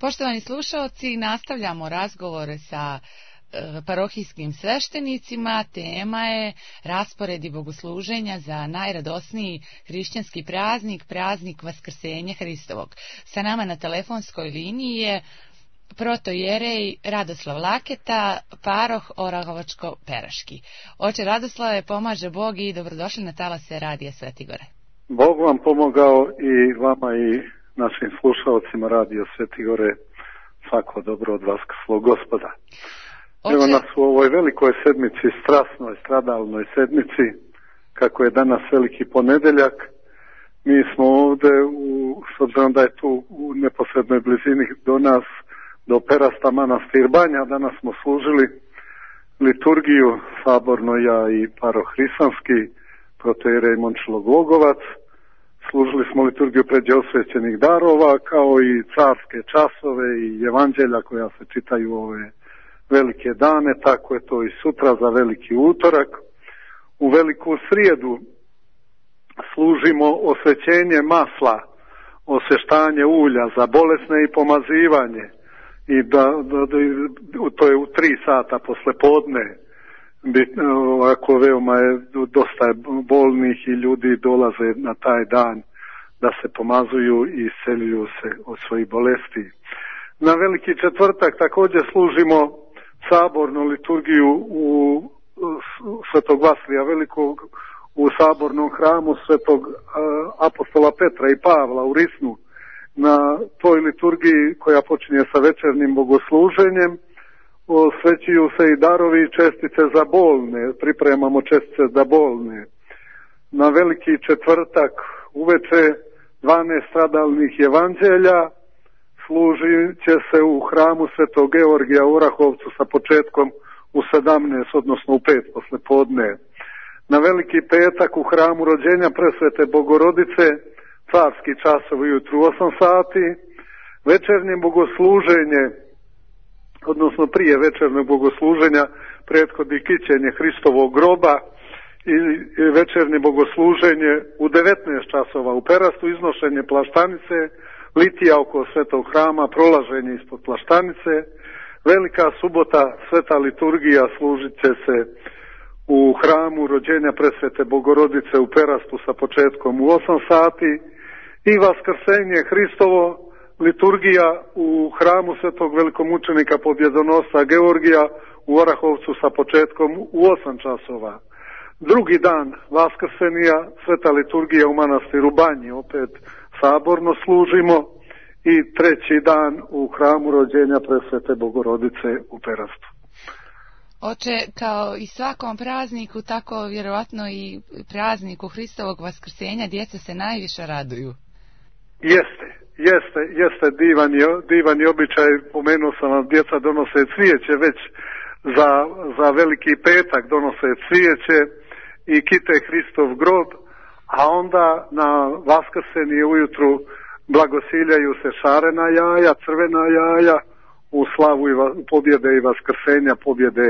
Poštovani slušalci, nastavljamo razgovore sa parohijskim sveštenicima. Tema je rasporedi bogosluženja za najradosniji hrišćanski praznik, praznik Vaskrsenja Hristovog. Sa nama na telefonskoj liniji je protojerej Radoslav Laketa, paroh Orahovačko-Peraški. Oče Radoslave, pomaže Bog i dobrodošli na talase Radija Sveti Gore. Bog vam pomogao i vama i našim slušalcima Radio Sveti Gore. Svako dobro od Vaskrslog Gospoda. Evo nas u ovoj velikoj sedmici, strasnoj, stradalnoj sedmici, kako je danas veliki ponedeljak. Mi smo ovde, s obzirom da je tu u neposrednoj blizini do nas, do Perasta manastir Banja, danas smo služili liturgiju saborno, ja i paroh Hrisanski, protojerej Momčilo Glogovac. Služili smo liturgiju pređe osvećenih darova, kao i carske časove i evanđelja koja se čitaju ove velike dane, tako je to i sutra za veliki utorak. U veliku srijedu služimo osvećenje masla, osveštanje ulja za bolesne i pomazivanje. I to je u 3 sata posle podne. Ovako veoma je dosta bolnih i ljudi dolaze na taj dan da se pomazuju i isceljuju se od svojih bolesti. Na veliki četvrtak također služimo sabornu liturgiju u Svetog Vasilija Velikog u sabornom hramu Svetog apostola Petra i Pavla u Risnu. Na toj liturgiji koja počinje sa večernjim bogosluženjem osvećuju se i darovi i čestice za bolne, pripremamo čestice za bolne. Na veliki četvrtak uveče 12 stradalnih evanđelja služit će se u hramu Svetog Georgija u Orahovcu sa početkom u 17, odnosno u 5 posle podne. Na veliki petak u hramu rođenja Presvete Bogorodice carski časovi ujutru 8 sati, večernje bogosluženje, odnosno prije večernjeg bogosluženja prethodi kićenje Hristovog groba i večernje bogosluženje u 19 časova u Perastu, iznošenje plaštanice, litija oko Svetog hrama, prolaženje ispod plaštanice. Velika subota, sveta liturgija služit će se u hramu rođenja Presvete Bogorodice u Perastu sa početkom u 8 sati i Vaskrsenje Hristovo, liturgija u hramu Svetog velikomučenika pobjedonosca Georgija u Orahovcu sa početkom u 8 časova. Drugi dan Vaskrsenija, sveta liturgija u manastiru Banji, opet saborno služimo, i treći dan u hramu rođenja Presvete Bogorodice u Perastu. Oče, kao i svakom prazniku, tako vjerovatno i prazniku Hristovog Vaskrsenja djeca se najviše raduju. Jeste divan je običaj, pomenuo sam vam, djeca donose cvijeće već za veliki petak, donose cvijeće i kite Hristov grob, a onda na Vaskrsenje ujutru blagosiljaju se šarena jaja, crvena jaja, u slavu pobjede i vaskrsenja, pobjede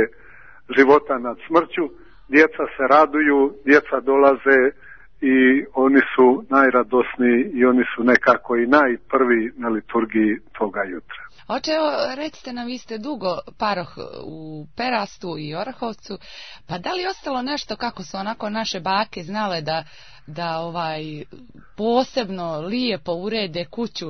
života nad smrću. Djeca se raduju, djeca dolaze i oni su najradosniji i oni su nekako i najprvi na liturgiji toga jutra. Oče, evo, recite nam, vi ste dugo paroh u Perastu i Orahovcu, pa da li ostalo nešto kako su onako naše bake znale da posebno lijepo urede kuću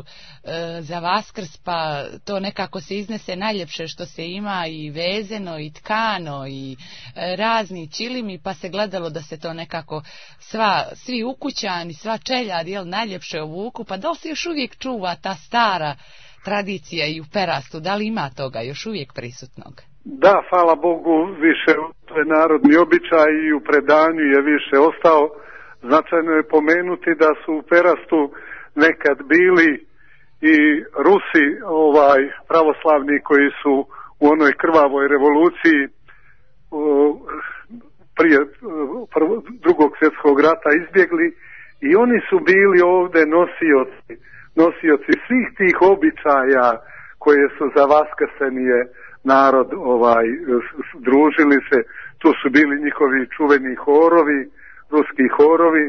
za Vaskrs, pa to nekako se iznese najljepše što se ima, i vezeno i tkano i razni čilimi, pa se gledalo da se to nekako svi ukućani, sva čeljad najljepše ovuku, pa da li se još uvijek čuva ta stara tradicija i u Perastu, da li ima toga još uvijek prisutnog? Da, hvala Bogu, više to je narodni običaj i u predanju je više ostao. Značajno je pomenuti da su u Perastu nekad bili i Rusi, pravoslavni, koji su u onoj krvavoj revoluciji prije Drugog svjetskog rata izbjegli, i oni su bili ovdje nosioci svih tih običaja koje su za Vaskrsenije narod družili se. Tu su bili njihovi čuveni horovi, ruski horovi,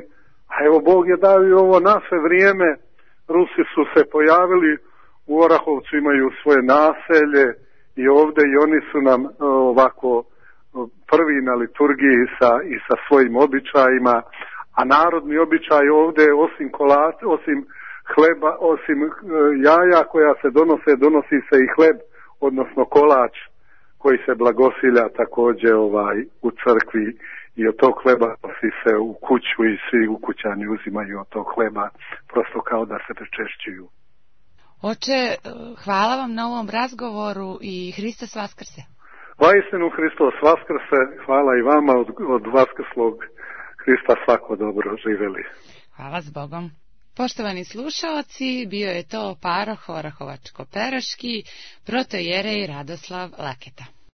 a evo Bog je dao i ovo naše vrijeme. Rusi su se pojavili u Orahovcu imaju svoje naselje i ovdje i oni su nam ovako prvi na liturgiji i sa svojim običajima, a narodni običaj ovdje osim kolača, osim hleba, osim jaja koja se donosi se i hleb, odnosno kolač koji se blagosilja također u crkvi i od tog hleba nosi se u kuću i svi ukućani uzimaju od tog hleba, prosto kao da se pričešćuju. Oče, hvala vam na ovom razgovoru i Hristos Vaskrse. Vaistinu Hristos Vaskrse, hvala i vama od vaskrslog Hrista svako dobro, živeli. Hvala s Bogom. Poštovani slušaoci, bio je to paroh Orahovačko-Peroški, protoijerej Radoslav Laketa.